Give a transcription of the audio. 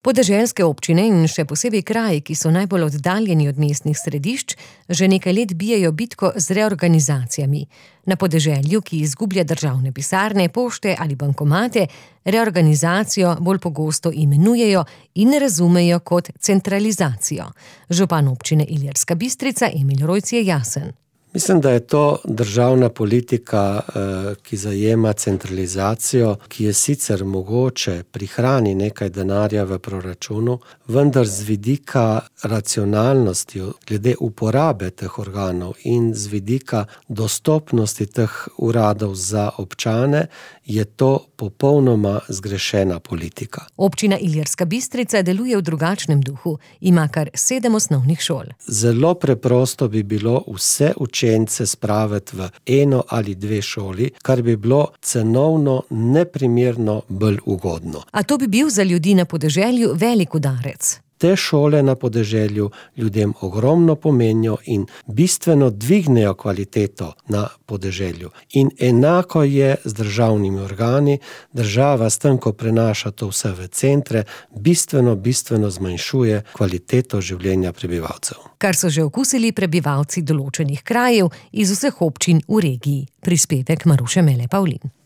Podeželske občine in še posebej kraji, ki so najbolj oddaljeni od mestnih središč, že nekaj let bijejo bitko z reorganizacijami. Na podeželju, ki izgublja državne pisarne, pošte ali bankomate, reorganizacijo bolj pogosto imenujejo in razumejo kot centralizacijo. Župan občine Ilirska Bistrica Emil Rojc je jasen. Mislim, da je to državna politika, ki zajema centralizacijo, ki je sicer mogoče prihrani nekaj denarja v proračunu, vendar z vidika racionalnosti glede uporabe teh organov in z vidika dostopnosti teh uradov za občane je to popolnoma zgrešena politika. Občina Ilirska Bistrica deluje v drugačnem duhu, ima kar 7 osnovnih šol. Zelo preprosto bi bilo vse učence spraviti v 1 ali 2 šoli, kar bi bilo cenovno neprimerno bolj ugodno. A to bi bil za ljudi na podeželju velik udarec. Te šole na podeželju ljudem ogromno pomenijo in bistveno dvignejo kvaliteto na podeželju. In enako je z državnimi organi. Država s tem, ko prenaša to vse v centre, bistveno zmanjšuje kvaliteto življenja prebivalcev. Kar so že okusili prebivalci določenih krajev iz vseh občin v regiji. Prispevek Maruše Mele Pavlin.